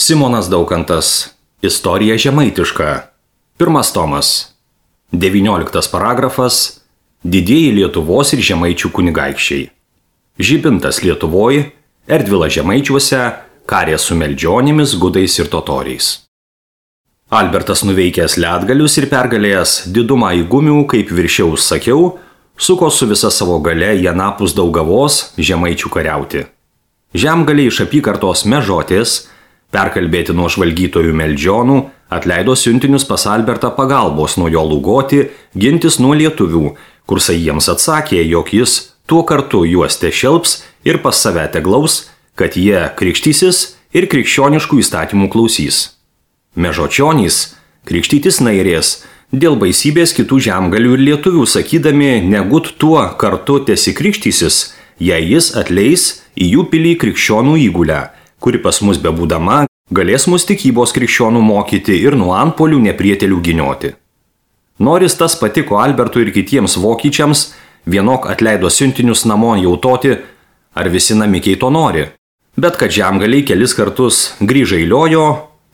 Simonas Daukantas. Istorija žemaitiška. Pirmas tomas. 19 paragrafas. Didieji Lietuvos ir žemaičių kunigaikščiai. Žibintas Lietuvoj, Erdvila žemaičiuose, karė su meldžionimis, gudais ir totoriais. Albertas nuveikęs ledgalius ir pergalėjęs didumą įgumių, kaip viršiaus sakiau, suko su visa savo gale į anapus Daugavos žemaičių kariauti. Žemgaliai iš apygardos Mežotės, perkalbėti nuo žvalgytojų meldžionų, atleido siuntinius pas Albertą pagalbos nuo jo lūgoti, gintis nuo lietuvių, kursai jiems atsakė, jog jis tuo kartu juos tešelps ir pas save teglaus, kad jie krikštysis ir krikščioniškų įstatymų klausys. Mežočionys krikštytis nairės dėl baisybės kitų žemgalių ir lietuvių, sakydami, negut tuo kartu tesikrikštysis, jei jis atleis į jų pilį krikščionų įgulę, kuri pas mus bebūdama galės mus tikybos krikščionų mokyti ir nuo antpolių neprietelių ginioti. Noris tas patiko Albertui ir kitiems vokiečiams, vienok atleido siuntinius namo jautoti, ar visi namikiai to nori. Bet kad žemgaliai kelis kartus grįžailiojo,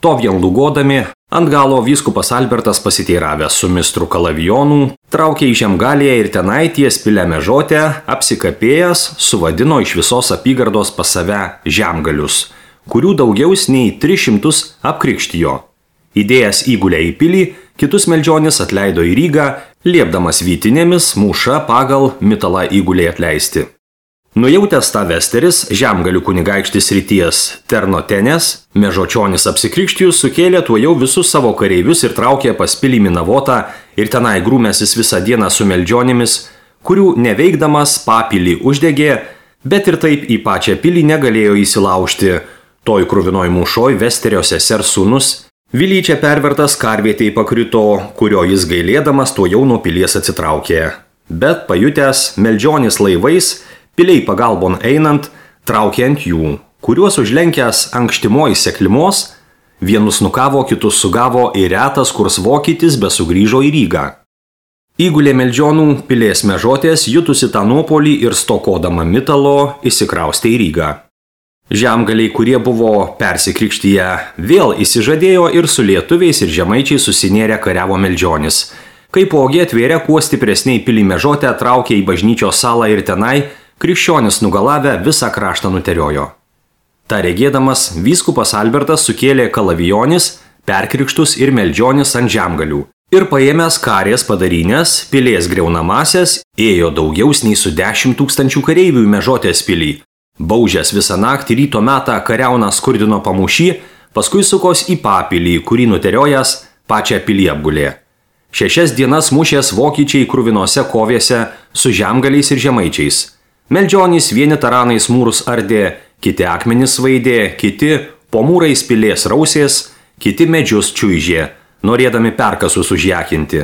to vien lūgodami, ant galo vyskupas Albertas pasiteiravęs su mistru Kalavijonu, traukė į Žemgalėje ir tenai ties pilę Mežotę, apsikapėjęs, suvadino iš visos apygardos pas save žemgalius, kurių daugiaus nei 300 apkrikštijo. Įdėjęs įgulę į pilį, kitus meldžionis atleido į Rygą, liepdamas vytinėmis mūša pagal mitalą įgulę atleisti. Nujautęs tą Vesteris, žemgalių kunigaikštis ryties Ternotenės, Mežočionis apsikrikštijus sukėlė tuojau visus savo kareivius ir traukė pas pilį Minavotą ir tenai grūmėsis visą dieną su meldžionimis, kurių neveikdamas papilį uždegė, bet ir taip į pačią pilį negalėjo įsilaužti. Toj kruvinoj mūšoj Vesterio sesers sūnus Vilyčia pervertas karvietei pakrito, kurio jis gailėdamas tuojau nuo pilies atsitraukė. Bet pajutęs meldžionis laivais, piliai pagalbon einant, traukė ant jų, kuriuos užlenkęs ankštimoj seklimos, vienus nukavo, kitus sugavo ir retas kurs vokietis besugrįžo į Rygą. Įgulė meldžionų pilės Mežotės jutusi tą nuopolį ir stokodama mitalo įsikraustė į Rygą. Žemgaliai, kurie buvo persikrikštyje, vėl įsižadėjo ir su lietuviais ir žemaičiai susinėrė kariavo meldžionis. Kaipogi atvėrė kuo stipresniai pilį Mežotę, traukė į bažnyčios salą ir tenai krikščionis nugalavę visą kraštą nuteriojo. Ta regėdamas, vyskupas Albertas sukėlė Kalavijonis, perkrikštus ir meldžionis ant žemgalių. Ir paėmęs karės padarynės, pilės greunamasias, ėjo daugiaus nei su 10 000 kareivių į Mežotės pilį. Baužęs visą naktį ryto metą kariauną skurdino pamūšį, paskui sukos į papilį, kurį nuteriojęs pačią pilį apgulė. 6 dienas mušės vokiečiai kruvinose kovėse su žemgaliais ir žemaičiais. Meldžionys vieni taranais mūrus ardė, kiti akmenis vaidė, kiti po mūrais pilės rausės, kiti medžius čiuižė, norėdami perkasus užjakinti.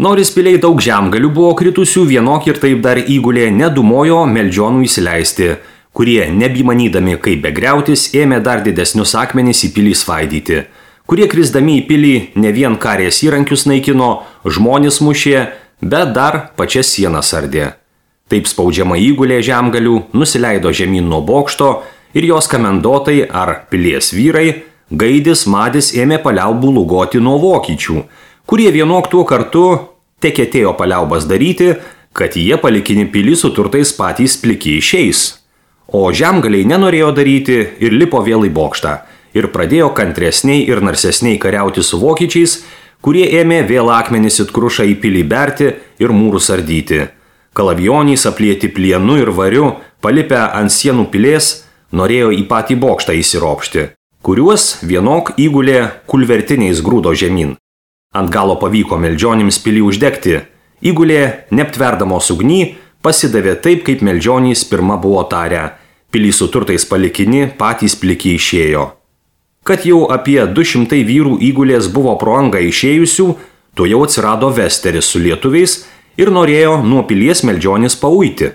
Noris piliai daug žemgalių buvo kritusių, vienok ir taip dar įgulė nedumojo meldžionų įsileisti, kurie nebimanydami kaip begriautis ėmė dar didesnius akmenis į pilį svaidyti, kurie krisdami į pilį ne vien karės įrankius naikino, žmonės mušė, bet dar pačias sienas ardė. Taip spaudžiama įgulė žemgalių nusileido žemyn nuo bokšto ir jos kamendotai ar pilies vyrai, Gaidis, Madis ėmė paliaubų lūgoti nuo vokiečių, kurie vienok tuo kartu tekėtėjo paliaubas daryti, kad jie palikinį pilį su turtais patys pliki išeis. O žemgaliai nenorėjo daryti ir lipo vėl į bokštą ir pradėjo kantresniai ir narsesniai kariauti su vokiečiais, kurie ėmė vėl akmenis it krušą į pilį berti ir mūrus ardyti. Kalavijonys aplieti plienu ir variu, palipę ant sienų pilės, norėjo į patį bokštą įsiropšti, kuriuos vienok įgulė kulvertiniais grūdo žemyn. Ant galo pavyko meldžionims pilį uždegti. Įgulė, neaptverdamos ugny, pasidavė taip, kaip meldžionys pirma buvo tarę. Pilį su turtais palikini, patys pliki išėjo. Kad jau apie 200 vyrų įgulės buvo pro angą išėjusių, to jau atsirado Vesteris su lietuviais ir norėjo nuo pilies meldžionis pauiti,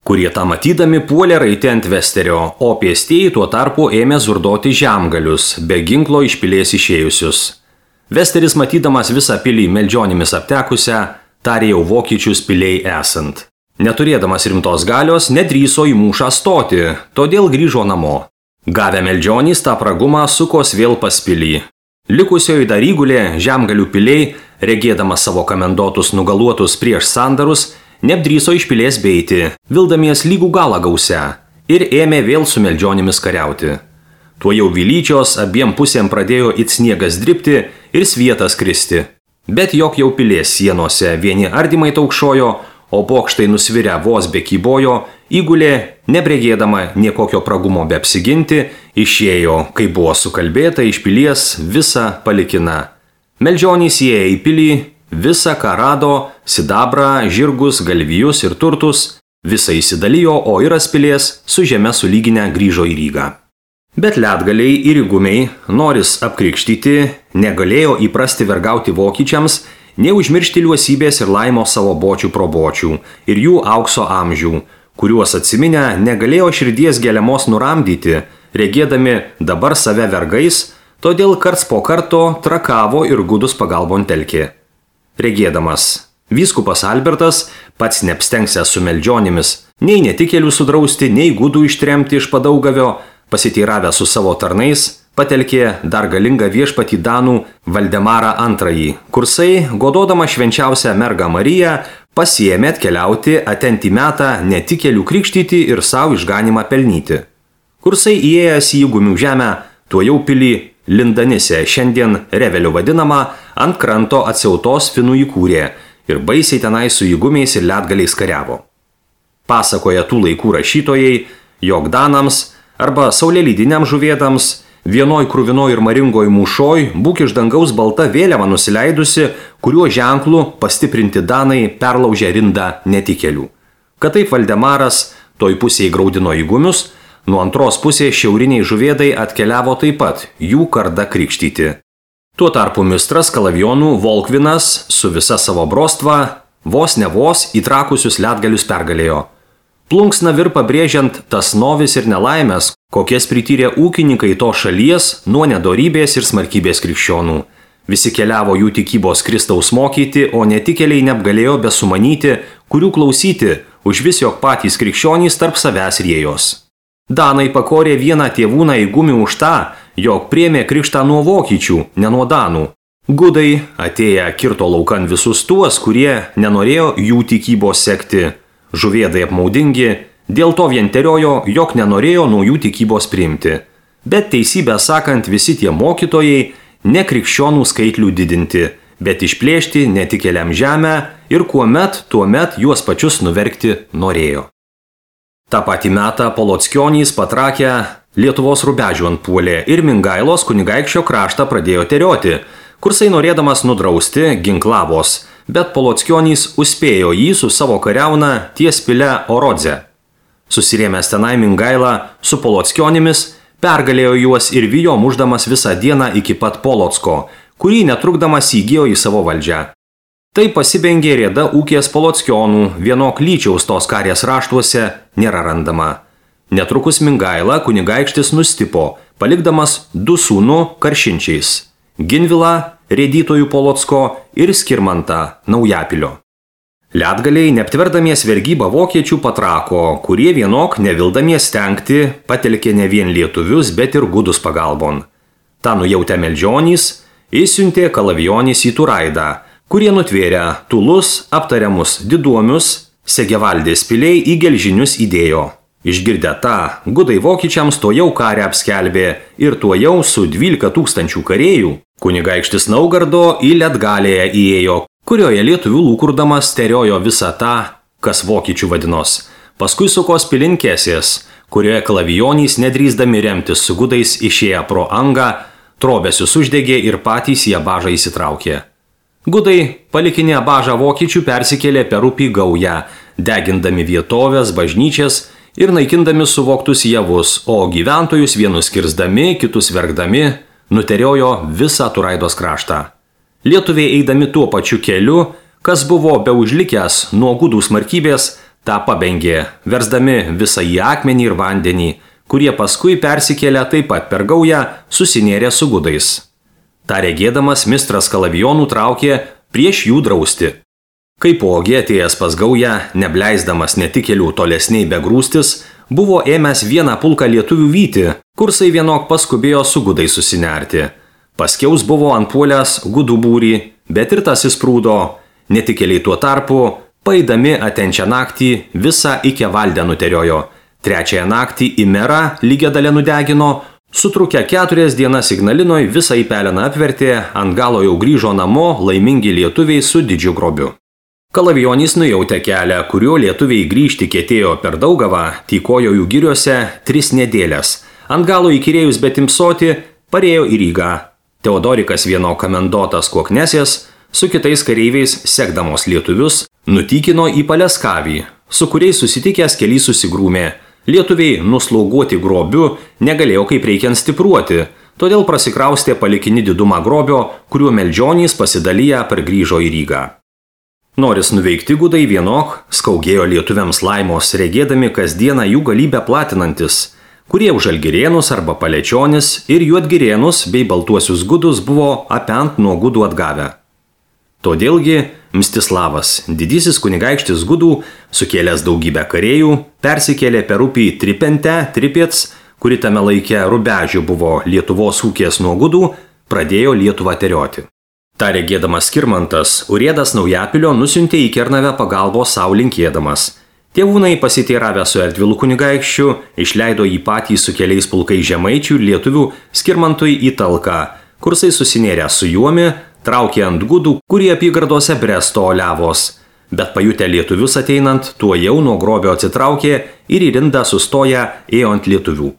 kurie tą matydami puolė raiti ant Vesterio, o pėstieji tuo tarpu ėmė zurdoti žemgalius, be ginklo iš pilies išėjusius. Vesteris, matydamas visą pilį meldžionimis aptekusią, tarė jau vokiečius piliai esant. Neturėdamas rimtos galios, nedrįso į mūšą stoti, todėl grįžo namo. Gavę meldžionys tą pragumą sukos vėl pas pilį. Likusioji dar įgulė Žemgalių piliai, regėdama savo kamendotus nugaluotus prieš sandarus, neapdryso iš pilies beiti, vildamies lygų galą gausia, ir ėmė vėl su meldžionimis kariauti. Tuo jau vilyčios abiem pusėm pradėjo it sniegas dribti ir svietas kristi. Bet jog jau pilies sienose vieni ardymai taukšojo, o bokštai nusvirę vos be kybojo, įgulė, nebregėdama niekokio pragumo be apsiginti, išėjo, kai buvo sukalbėta iš pilies visa palikina. Meldžionys įėjo į pilį, visą ką rado, sidabrą, žirgus, galvijus ir turtus, visą įsidalijo, o Iras pilies su žeme sulyginę grįžo į Rygą. Bet ledgaliai ir įgumiai, noris apkrikštyti, negalėjo įprasti vergauti vokiečiams, neužmiršti liuosybės ir laimo savo bočių probočių ir jų aukso amžių, kuriuos atsiminę negalėjo širdies geliamos nuramdyti, regėdami dabar save vergais, todėl karts po karto trakavo ir gudus pagalbon telkė. Regėdamas, vyskupas Albertas, pats neapstengsęs su meldžionimis, nei netikėlių sudrausti, nei gudų ištremti iš Padaugavio, pasiteiravę su savo tarnais, patelkė dar galingą viešpatį Danų Valdemarą II, kursai, gododama švenčiausią mergą Mariją, pasiėmė atkeliauti atentį metą netikėlių krikštyti ir savo išganimą pelnyti. Kursai įėjęs į įgumių žemę, tuo jau pilį Lindanise, šiandien Reveliu vadinama, ant kranto atsiautos finų įkūrė ir baisiai tenai su įgumiais ir ledgaliais kariavo. Pasakoja tų laikų rašytojai, jog Danams arba saulėlydiniams žuvėdams vienoj krūvinoj ir maringoj mūšoj būk iš dangaus balta vėliava nusileidusi, kuriuo ženklu pastiprinti Danai perlaužė rindą netikėlių. Kad taip Valdemaras toj pusėje graudino įgumius, nuo antros pusės šiauriniai žuvėdai atkeliavo taip pat jų kardą krikštyti. Tuo tarpu mistras Kalavijonų Volkvinas su visa savo brostva vos ne vos įtrakusius ledgalius pergalėjo. Plunksna vir pabrėžiant tas novis ir nelaimės, kokias prityrė ūkininkai to šalies nuo nedorybės ir smarkybės krikščionų. Visi keliavo jų tikybos Kristaus mokyti, o netikėliai neapgalėjo besumanyti, kurių klausyti, už vis jog patys krikščionys tarp savęs riejos. Danai pakorė vieną tėvūną įgumį už tą, jog priėmė krikštą nuo vokiečių, ne nuo Danų. Gudai atėję kirto laukan visus tuos, kurie nenorėjo jų tikybos sekti. Žuvėdai apmaudingi, dėl to vien teriojo, jog nenorėjo naujų tikybos priimti. Bet teisybę sakant, visi tie mokytojai ne krikščionų skaitlių didinti, bet išplėšti netikėliam žemę ir tuomet juos pačius nuverkti norėjo. Ta patį metą Polockionys patrakę Lietuvos rubežių antpuolė ir Mingailos kunigaikščio kraštą pradėjo terioti, kursai norėdamas nudrausti ginklavos, bet Polockionys užspėjo jį su savo kariauna ties pile Orodze. Susirėmęs tenai Mingaila su Polockionimis, pergalėjo juos ir vijo muždamas visą dieną iki pat Polocko, kurį netrukdamas įgijo į savo valdžią. Tai pasibengė rėda ūkės Polockionų, vienok Lyčiaus tos karės raštuose nėra randama. Netrukus Mingaila kunigaikštis nustipo, palikdamas du sūnų karšinčiais – Ginvilą, rėdytojų Polocko ir Skirmantą, Naujapilio. Ledgaliai, neaptverdamies vergybą vokiečių patrako, kurie vienok nevildamies stengti, patelkė ne vien lietuvius, bet ir gudus pagalbon. Ta nujautę meldžionys, įsiuntė Kalavijonys į Turaidą, kurie nutvėrę Tulus, aptariamus Diduomius, Segevaldės piliai į Gelžinius įdėjo. Išgirdę tą, gudai vokiečiams to jau karę apskelbė ir to jau su 12 000 karėjų kunigaikštis Naugardo į Ledgalėje įėjo, kurioje lietuvių lūkurdamas teriojo visą tą, kas vokiečių vadinos. Paskui sukos pilinkėsės, kurioje Kalavijonys nedrįsdami remtis su gudais išėję pro angą, trobesius uždegė ir patys į Abažą įsitraukė. Gudai, palikinę Abažą vokiečių, persikėlė per upį Gaują, degindami vietovės, bažnyčias ir naikindami suvoktus javus, o gyventojus vienus kirsdami, kitus verkdami, nuteriojo visą Turaidos kraštą. Lietuviai eidami tuo pačiu keliu, kas buvo beužlikęs nuo gudų smarkybės, tą pabengė, versdami visą į akmenį ir vandenį, kurie paskui persikėlė taip pat per Gaują, susinėrė su gudais. Ta regėdamas mistras Kalavijonų traukė prieš jų drausti. Kaipogi atėjęs pas Gaują, nebleisdamas netikėlių tolesniai begrūstis, buvo ėmęs vieną pulką lietuvių vyti, kursai vienok paskubėjo su gudai susinerti. Paskiaus buvo antpuolęs gudų būrį, bet ir tas įsprūdo. Netikėliai tuo tarpu, paeidami atenčią naktį, visą iki valdę nuteriojo. Trečiąją naktį į merą lygią dalę nudegino, sutrukę 4 dienas Ignalinoj visą į peleną apvertė, ant galo jau grįžo namo laimingi lietuviai su didžiu grobiu. Kalavijonys nujautė kelią, kuriuo lietuviai grįžti kėtėjo per Daugavą, tykojo jų giriuose 3 nedėlės. Ant galo įkyrėjus betimsoti, parėjo į Rygą. Teodorikas vieno kamendotas Koknesės su kitais kareiviais sekdamos lietuvius nutykino į Paleskavį, su kuriais susitikęs keliai susigrūmė. Lietuviai nuslauguoti grobiu negalėjo kaip reikiant stipruoti, todėl prasikraustė palikinį didumą grobio, kuriuo meldžionys pasidalyję pargrįžo į Rygą. Noris nuveikti gudai vienok, skaugėjo lietuviams laimos, regėdami kasdieną jų galybę platinantis, kurie už žalgirėnus arba palečionis ir juodgirėnus bei baltuosius gudus buvo apent nuo gudų atgavę. Todėlgi Mstislavas, didysis kunigaikštis gudų, sukėlęs daugybę kareivių, persikėlė per upį Tripets, kuri tame laike Rubežių buvo Lietuvos ūkės nuo gudų, pradėjo Lietuvą terioti. Ta regėdamas Skirmantas, Urėdas Naujapilio nusiuntė į Kernavę pagalbos sau linkėdamas. Tėvūnai pasiteiravę su Erdvilu kunigaikščiu, išleido jį patį su keliais pulkais žemaičių ir lietuvių Skirmantui į Talką, kursai susinėrę su juomi, traukė ant gudų, kurie apygardose Bresto oliavos. Bet pajutę lietuvius ateinant, tuo jau nuo grobio atsitraukė ir į rindą sustoję ėjo ant lietuvių.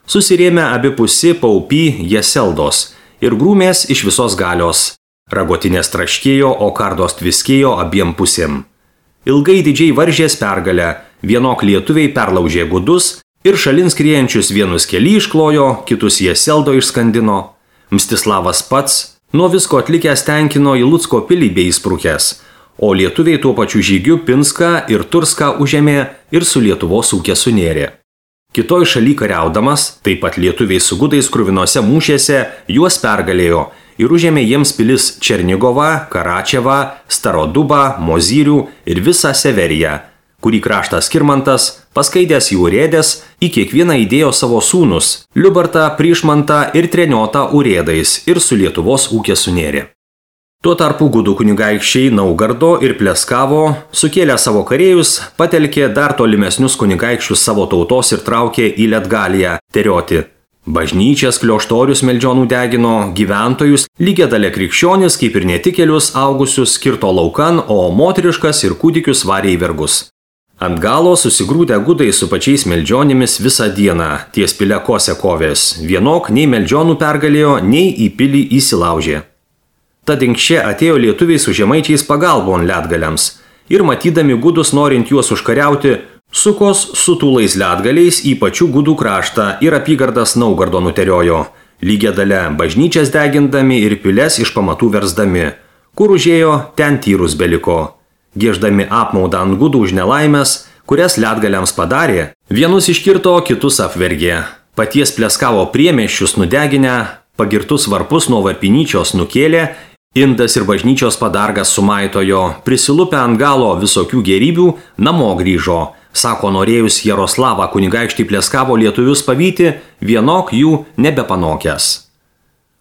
Susirėmė abipusi paupy Jeseldos ir grūmės iš visos galios. Ragotinės traškėjo, o kardos tviskėjo abiem pusėm. Ilgai didžiai varžės pergalę, vienok lietuviai perlaužė gudus ir šalin skriejančius vienus keli išklojo, kitus Jeseldo išskandino. Mstislavas pats nuo visko atlikęs tenkino į Lucko pilį bei įsprukęs, o lietuviai tuo pačiu žygiu Pinską ir Turską užėmė ir su Lietuvos ūkė sunėrė. Kitoj šaly kariaudamas, taip pat lietuviai su gudais kruvinose mūšėse, juos pergalėjo ir užėmė jiems pilis Černigovą, Karačevą, Starodubą, Mozyrių ir visą Severiją, kurį kraštas Skirmantas, paskaidęs jų Urėdės, į kiekvieną įdėjo savo sūnus – Liubartą, Prišmantą ir Treniotą Urėdais ir su Lietuvos ūkė sunėrė. Tuo tarpu gudų kunigaikščiai Naugardo ir Pleskavo, sukėlę savo kareivius, patelkė dar tolimesnius kunigaikščius savo tautos ir traukė į Letgaliją terioti. Bažnyčias, klioštorius meldžionų degino, gyventojus, lygiadalė krikščionis, kaip ir netikėlius augusius skirto laukan, o moteriškas ir kūdikius varė į vergus. Ant galo susigrūdę gudai su pačiais meldžionimis visą dieną, ties Pilekose kovės, vienok nei meldžionų pergalėjo, nei į pilį įsilaužė. Tad inkščia atėjo lietuviai su žemaičiais pagalbon Letgaliams ir matydami gudus norint juos užkariauti, sukos su tūlais Letgaliais į pačių gudų kraštą ir apygardas Naugardo nuteriojo, lygia dalia bažnyčias degindami ir piles iš pamatų versdami, kur užėjo, ten tyrus beliko. Gieždami apmaudą ant gudų už nelaimės, kurias Letgaliams padarė, vienus iškirto, kitus apvergė. Paties Pleskavo priemiesčius nudeginę, pagirtus varpus nuo varpinyčios nukėlė, indas ir bažnyčios padargas sumaitojo, prisilupę ant galo visokių gėrybių, namo grįžo. Sako, norėjus Jaroslavą kunigaikštį Pleskavo lietuvius pavyti, vienok jų nebepanokęs.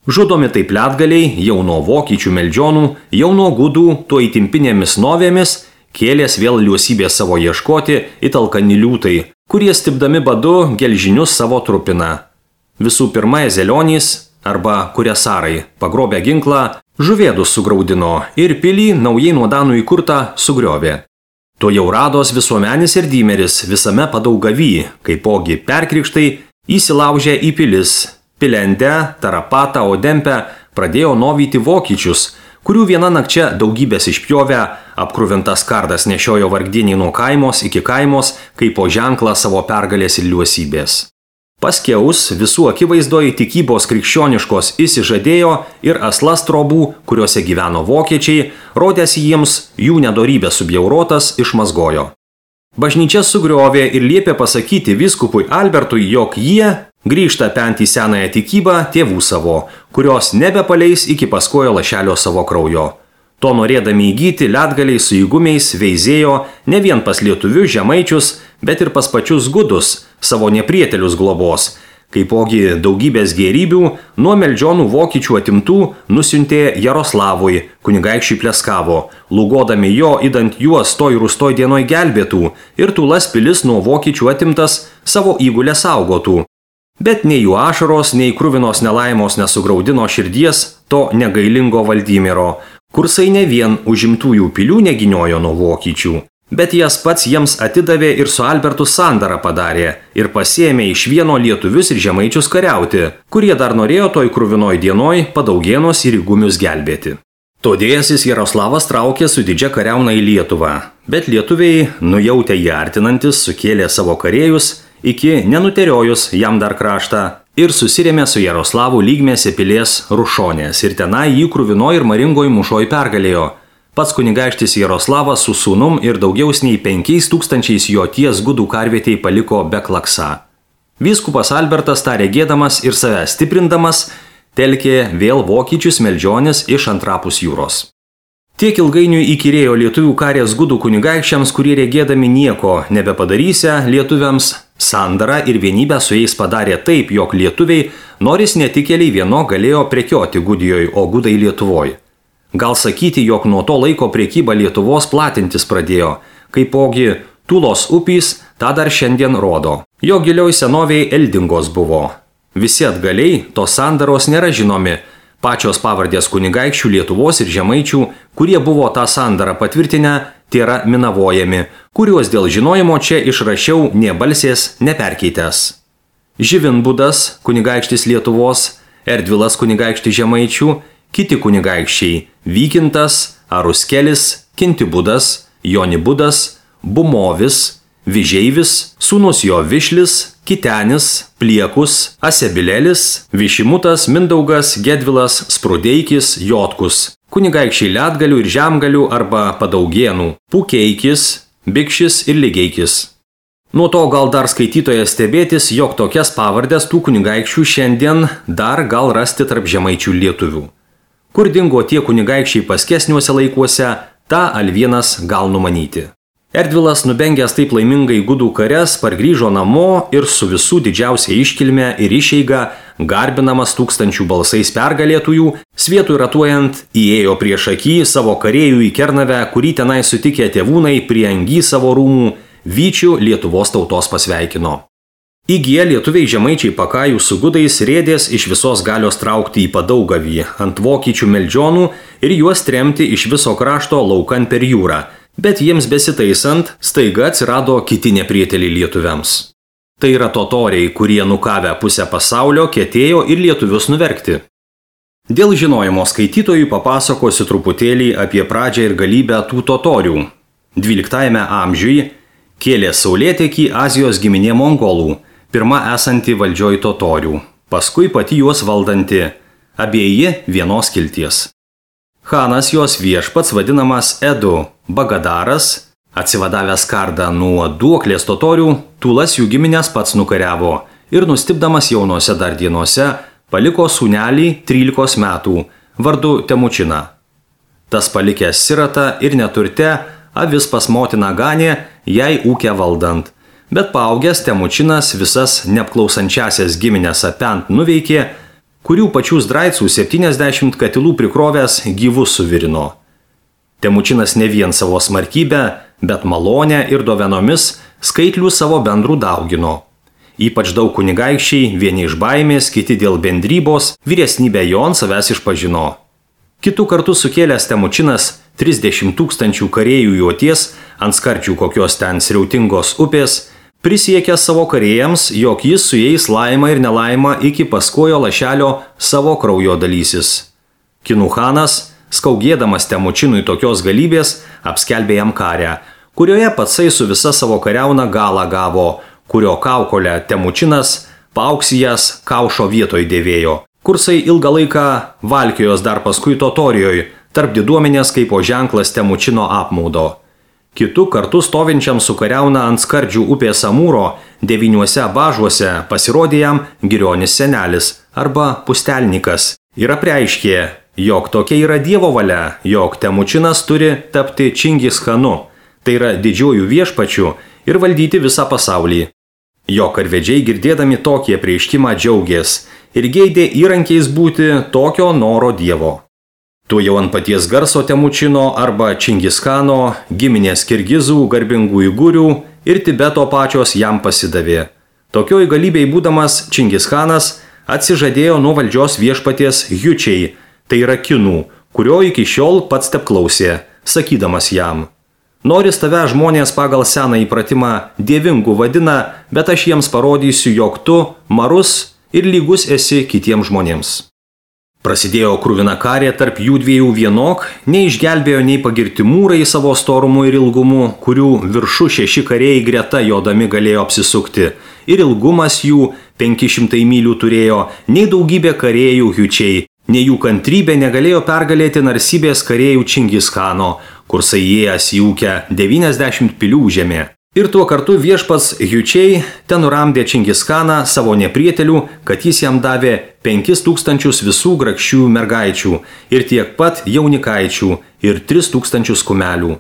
Žudomi taip Letgaliai, jau nuo vokiečių meldžionų, jau nuo gudų, tuo įtimpinėmis novėmis, kėlės vėl liuosybės savo ieškoti italkani liūtai, kurie stipdami badu gelžinius savo trupina. Visų pirma, Zelionys arba Kuresarai, pagrobę ginklą, žuvėdus sugraudino ir pilį naujai nuo danų įkurtą sugriovė. To jau rados visuomenis ir dymeris visame Padaugavy, kaipogi perkrikštai įsilaužė į pilis. Pilendę, Tarapatą, Odempę pradėjo novyti vokiečius, kurių viena nakčia daugybės išpjovę, apkruvintas kardas nešiojo vargdieniai nuo kaimos iki kaimos, kaip po ženklą savo pergalės ir liuosybės. Paskiaus visų akivaizdoje tikybos krikščioniškos įsižadėjo ir aslas trobų, kuriuose gyveno vokiečiai, rodęs jiems jų nedorybę subjaurotas išmazgojo. Bažnyčia sugriovė ir liepė pasakyti vyskupui Albertui, jog jie grįžta pent į senąją tikybą tėvų savo, kurios nebepaleis iki paskojo lašelio savo kraujo. To norėdami įgyti Letgaliai su įgumiais veizėjo ne vien pas lietuvius žemaičius, bet ir pas pačius gudus, savo neprietelius globos, kaipogi daugybės gėrybių nuo Meldžionų vokiečių atimtų nusiuntė Jaroslavui, kunigaikščiui Pleskavo, lūgodami jo idant juos toj rūstoj dienoj gelbėtų ir Tulas pilis nuo vokiečių atimtas savo įgulę saugotų. Bet nei jų ašaros, nei kruvinos nelaimos nesugraudino širdies to negailingo Valdymiro, kursai ne vien užimtųjų pilių neginiojo nuo vokiečių, bet jas pats jiems atidavė ir su Albertu sandarą padarė ir pasiėmė iš vieno lietuvius ir žemaičius kariauti, kurie dar norėjo toj kruvinoj dienoj Padaugėnos ir Įgumius gelbėti. Todėjasis Jaroslavas traukė su didžia kariauna į Lietuvą, bet lietuviai, nujautę jį artinantis, sukėlė savo karėjus iki nenuteriojus jam dar kraštą ir susirėmė su Jaroslavu lygmėse pilies Rušonės ir tenai jį kruvinoje ir maringoje mūšoje pergalėjo. Pats kunigaikštis Jaroslavas su sūnum ir daugiaus nei 5000 jo ties gudų karvietėj paliko be klaksa. Vyskupas Albertas tą regėdamas ir save stiprindamas telkė vėl vokiečius Meldžionis iš antrapus jūros. Tiek ilgainiui įkyrėjo lietuvių karės gudų kunigaikščiams, kurie regėdami nieko nebepadarysia lietuviams, sandarą ir vienybę su jais padarė taip, jog lietuviai, noris netikėliai vieno, galėjo prekioti Gudijoj, o gudai Lietuvoj. Gal sakyti, jog nuo to laiko prekyba Lietuvos platintis pradėjo, kaipogi Tulos upys tą dar šiandien rodo. Jo gilioj senoviai Eldingos buvo. Visi atgaliai tos sandaros nėra žinomi, pačios pavardės kunigaikščių Lietuvos ir žemaičių, kurie buvo tą sandarą patvirtinę, tėra minavojami, kuriuos dėl žinojimo čia išrašiau nė balsės neperkeitęs. Živinbudas, kunigaikštis Lietuvos, Erdvilas kunigaikštis žemaičių, kiti kunigaikščiai Vykintas, Aruskelis, Kintibudas, Jonibudas, Bumovis, Vižeivis, sūnus jo Višlis, Kitenis, Pliekus, Asebilelis, Višimutas, Mindaugas, Gedvilas, Sprudeikis, Jotkus, kunigaikščiai Lietgalių ir Žemgalių arba Padaugėnų, Pukeikis, Bikšis ir Ligeikis. Nuo to gal dar skaitytojas stebėtis, jog tokias pavardės tų kunigaikščių šiandien dar gal rasti tarp žemaičių lietuvių. Kur dingo tie kunigaikščiai paskesniuose laikuose, tą Alvienas gal numanyti. Erdvilas, nubengęs taip laimingai gudų kares, pargrįžo namo ir su visų didžiausia iškilme ir išeiga, garbinamas 1000 balsais pergalėtųjų, svietui ratuojant, įėjo prieš akį savo karėjų į Kernavę, kurį tenai sutikę tėvūnai prie angy savo rūmų, Vyčių Lietuvos tautos pasveikino. Įgiję lietuviai žemaičiai pakajų su gudais rėdės iš visos galios traukti į Padaugavį ant vokiečių Meldžionų ir juos tremti iš viso krašto laukan per jūrą. Bet jiems besitaisant, staiga atsirado kiti neprieteliai lietuviams. Tai yra totoriai, kurie nukavę pusę pasaulio ketėjo ir lietuvius nuverkti. Dėl žinojimo skaitytojui papasakosiu truputėlį apie pradžią ir galybę tų totorių. 12 amžiuje kėlė saulėtekį Azijos giminė mongolų, pirma esanti valdžioj totorių, paskui pati juos valdanti, abieji vienos kilties. Chanas jos viešpats vadinamas Edu Bagadaras, atsivadavęs kardą nuo duoklės totorių, Tulas jų giminės pats nukariavo ir nustipdamas jaunose dar dienose paliko sūnelį 13 metų, vardu Temučiną. Tas palikęs siratą ir neturte, avis pas motiną ganė, jai ūkę valdant, bet paaugęs Temučinas visas neapklausančiasias giminės apent nuveikė, kurių pačių zdraicų 70 katilų prikrovęs gyvus suvirino. Temučinas ne vien savo smarkybę, bet malonę ir dovenomis skaitlių savo bendrų daugino. Ypač daug kunigaikščiai, vieni iš baimės, kiti dėl bendrybos, vyresnybę jo ant savęs išpažino. Kitų kartų sukėlęs Temučinas 30 000 karėjų juoties ant skardžių kokios ten sriautingos upės, prisiekė savo karėjams, jog jis su jais laimą ir nelaimą iki paskojo lašelio savo kraujo dalysis. Kinų chanas, skaugėdamas Temučinui tokios galybės, apskelbė jam karę, kurioje patsai su visa savo kariauna galą gavo, kurio kaukolę Temučinas paauksyjas kaušo vietoj dėvėjo. Kursai ilgą laiką valkiojos dar paskui Totorijoje, tarp diduomenės kaip o ženklas Temučino apmaudo. Kitu kartu stovinčiam su kariauna ant skardžių upės Amūro 9 bažuose pasirodė jam Girionis senelis arba pustelnikas ir apreiškė, jog tokia yra Dievo valia, jog Temučinas turi tapti Čingis chanu, tai yra didžiuoju viešpačiu ir valdyti visą pasaulį. Jo karvedžiai girdėdami tokį apreiškimą džiaugės ir geidė įrankiais būti tokio noro dievo. Tu jau ant paties garso Temučino arba Čingischano, giminės Kirgizų, garbingų Uigūrių ir Tibeto pačios jam pasidavė. Tokioj galybėj būdamas Čingischanas atsižadėjo nuo valdžios viešpaties Jučiai, tai yra kinų, kurio iki šiol pats teplausė, sakydamas jam: Noris tave žmonės pagal seną įpratimą dievingu vadina, bet aš jiems parodysiu, jog tu marus ir lygus esi kitiems žmonėms. Prasidėjo kruvina karė tarp jų dviejų vienok, neišgelbėjo nei pagirti mūrai savo storumu ir ilgumu, kurių viršu 6 kariai greta jodami galėjo apsisukti, ir ilgumas jų 500 mylių turėjo, nei daugybė karėjų Jučiai, nei jų kantrybė negalėjo pergalėti narsybės karėjų Čingischano, kur įėjęs į ūkę 90 pilių žemė. Ir tuo kartu viešpats Jučiai ten nuramdė Čingischaną savo neprietelių, kad jis jam davė 5000 visų grakščių mergaičių ir tiek pat jaunikaičių ir 3000 kumelių.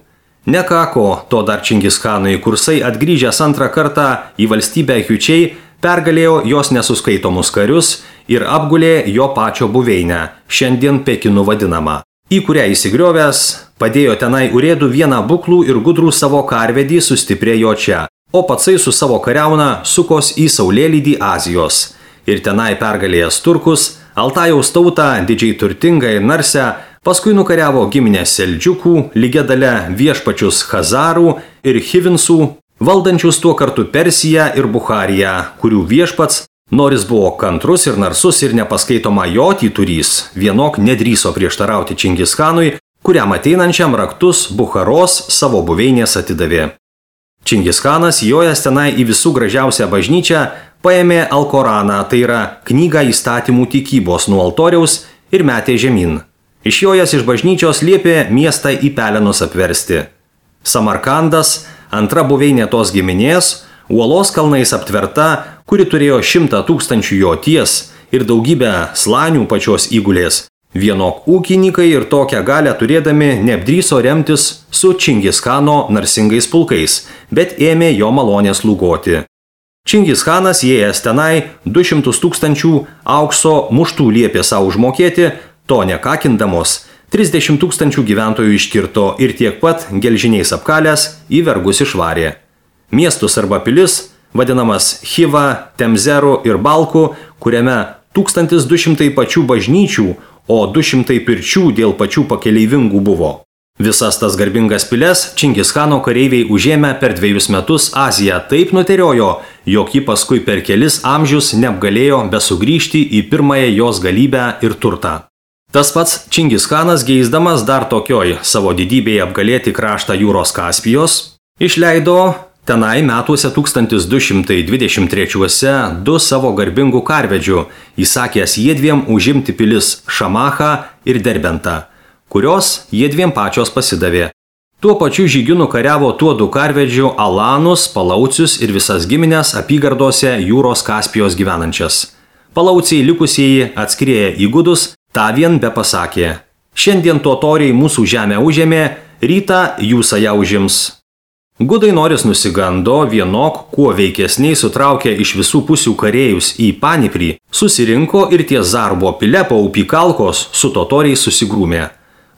Nekako to dar Čingischanui, kursai atgrįžęs antrą kartą į valstybę Jučiai pergalėjo jos nesuskaitomus karius ir apgulė jo pačio buveinę, šiandien Pekinu vadinamą, į kurią įsigriovęs padėjo tenai urėdų vieną buklų ir gudrų savo karvedį sustiprėjo čia, o patsai su savo kariauna sukos į saulėlydį Azijos. Ir tenai pergalėjęs turkus, Altajaus tautą didžiai turtingą ir narsę, paskui nukariavo giminės Seldžiukų, lygia dalia viešpačius Chazarų ir Hivinsų, valdančius tuo kartu Persiją ir Buchariją, kurių viešpats, nors buvo kantrus ir narsus ir nepaskaitoma jo tyturys, vienok nedrįso prieštarauti Čingischanui, kuriam ateinančiam raktus Bucharos savo buveinės atidavė. Čingischanas, jojęs tenai į visų gražiausią bažnyčią, paėmė Alkoraną, tai yra knygą įstatymų tikybos nuo altoriaus ir metė žemyn. Išjojęs iš bažnyčios liepė miestą į pelenus apversti. Samarkandas, antra buveinė tos giminės, uolos kalnais aptverta, kuri turėjo 100 000 joties ir daugybę slanių pačios įgulės. Vienok ūkininkai ir tokią galę turėdami neapdryso remtis su Čingischano narsingais pulkais, bet ėmė jo malonės lūgoti. Čingischanas įėjęs tenai 200 000 aukso muštų liepė savo užmokėti, to nekakindamos, 30 000 gyventojų iškirto ir tiek pat gelžiniais apkalęs į vergus išvarė. Miestus arba pilis, vadinamas Chiva, Temzeru ir Balku, kuriame 1200 pačių bažnyčių, o 200 pirčių dėl pačių pakeleivingų buvo. Visas tas garbingas piles Čingischano kareiviai užėmė per 2 metus Aziją taip nuteriojo, jog ji paskui per kelis amžius neapgalėjo besugrįžti į pirmąją jos galybę ir turtą. Tas pats Čingischanas, geisdamas dar tokioj savo didybėje apgalėti kraštą jūros Kaspijos, išleido tenai metuose 1223 2 savo garbingų karvedžių, įsakęs jiedviem užimti pilis Šamachą ir Derbentą, kurios jiedviem pačios pasidavė. Tuo pačiu žygiu nukariavo tuo 2 karvedžių Alanus, Palaucius ir visas giminės apygardose jūros Kaspijos gyvenančias. Palauciai likusieji atskrieję į gudus, tą vien be pasakė: šiandien totoriai mūsų žemę užėmė, rytą jūs ją užims. Gudai noris nusigando, vienok, kuo veikesniai sutraukė iš visų pusių karėjus į Paniprį, susirinko ir ties Zarbo pile po upį Kalkos su totoriais susigrūmė.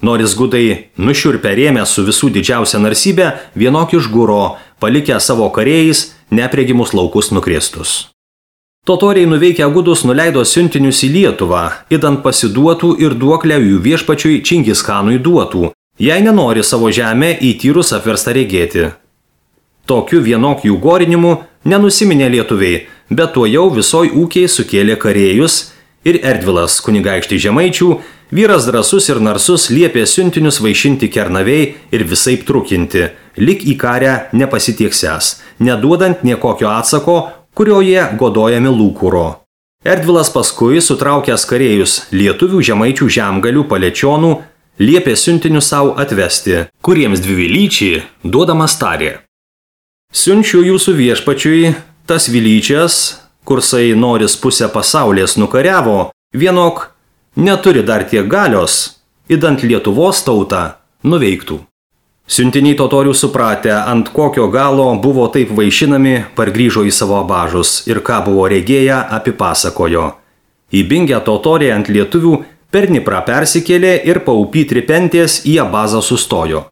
Noris gudai nušiurpę rėmę su visų didžiausia narsybė, vienok išguro, palikę savo karėjais nepregimus laukus nukrėstus. Totoriai nuveikę gudus nuleido siuntinius į Lietuvą, idant pasiduotų ir duoklę jų viešpačiui Čingischanui duotų, jei nenori savo žemę į tyrus apverstą regėti. Tokiu vienok jų gorinimu nenusiminė lietuviai, bet tuo jau visoj ūkiai sukėlė karėjus ir Erdvilas kunigaikštį Žemaičių, vyras drąsus ir narsus, liepė siuntinius vaišinti Kernavei ir visaip trukinti, lik į karę nepasitieksęs, neduodant niekokio atsako, kurio jie godojami lūkuro. Erdvilas paskui, sutraukęs karėjus lietuvių Žemaičių žemgalių palečionų, liepė siuntinius savo atvesti, kuriems dvivilyčiai duodamas tarė: siunčiu jūsų viešpačiui tas vilyčias, kursai noris pusę pasaulės nukariavo, vienok neturi dar tiek galios, idant Lietuvos tautą nuveiktų. Siuntiniai totorių supratę, ant kokio galo buvo taip vaišinami, pargrįžo į savo abažus ir ką buvo regėję, apipasakojo. Įbingę totoriai ant lietuvių per Dniprą persikėlė ir paupy tripentės į abazą sustojo.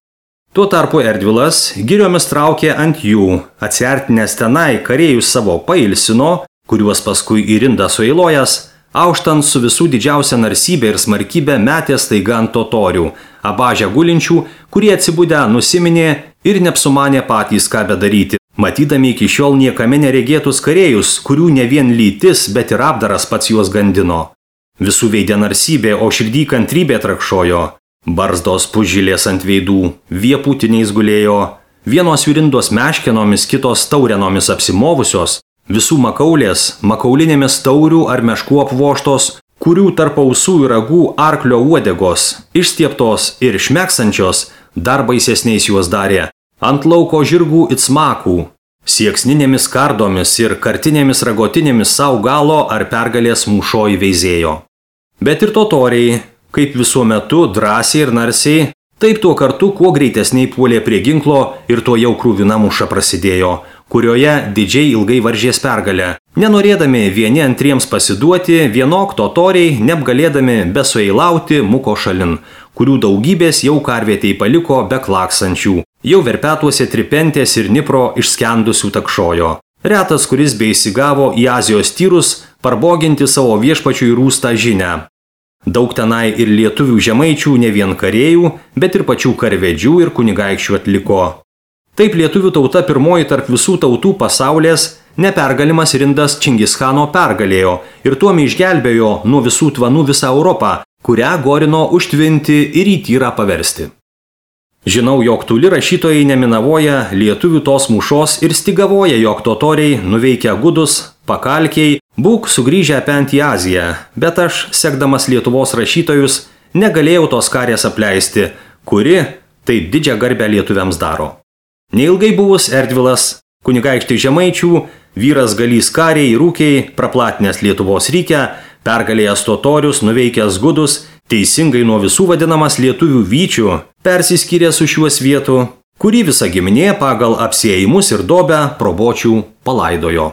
Tuo tarpu Erdvilas giriomis traukė ant jų, atsiartinęs tenai kareivius savo pailsino, kuriuos paskui į rindą sueilojas, auštant su visų didžiausia narsybė ir smarkybė metė staiga ant totorių, abažę gulinčių, kurie atsibudę nusiminė ir neapsumanė patys ką bedaryti, matydami iki šiol niekame neregėtus kareivius, kurių ne vien lytis, bet ir apdaras pats juos gandino. Visų veidė narsybė, o širdį kantrybė trakšojo. Barzdos pužilės ant veidų, viepūtiniais gulėjo, vienos virindos meškenomis, kitos taurenomis apsimovusios, visų makaulės, makaulinėmis taurių ar meškų apvoštos, kurių tarp ausų ir ragų arklio uodegos, išstieptos ir šmeksančios, dar baisesniais juos darė, ant lauko žirgų it smakų, sieksninėmis kardomis ir kartinėmis ragotinėmis sau galo ar pergalės mūšoj veizėjo. Bet ir totoriai, kaip visų metu drąsiai ir narsiai, taip tuo kartu kuo greitesniai puolė prie ginklo ir to jau krūvina mūša prasidėjo, kurioje didžiai ilgai varžės pergalę. Nenorėdami vieni antriems pasiduoti, vienok totoriai, neapgalėdami besueilauti, muko šalin, kurių daugybės jau karvietei paliko be klaksančių, jau verpetuose tripentės ir Dnipro išskendusių takšojo. Retas, kuris beįsigavo į Azijos tyrus, parboginti savo viešpačiui rūstą žinią. Daug tenai ir lietuvių žemaičių ne vien karėjų, bet ir pačių karvedžių ir kunigaikščių atliko. Taip lietuvių tauta pirmoji tarp visų tautų pasaulės nepergalimas rindas Čingischano pergalėjo ir tuom išgelbėjo nuo visų tvanų visą Europą, kurią gorino užtvinti ir į tyrą paversti. Žinau, jog toli rašytojai neminavoja lietuvių tos mūšos ir stigavoja, jog totoriai nuveikia gudus, pakalkiai, būk sugrįžę apent į Aziją, bet aš, sekdamas Lietuvos rašytojus, negalėjau tos karės apleisti, kuri taip didžią garbę lietuviams daro. Neilgai buvus Erdvilas, kunigaikštis žemaičių, vyras galys kariai, rūkiai, praplatinęs Lietuvos rykę, pergalėjęs totorius, nuveikęs gudus, teisingai nuo visų vadinamas lietuvių vyčių, persiskyrė su šiuos vietų, kurį visa giminė pagal apsiėjimus ir dobę probočių palaidojo.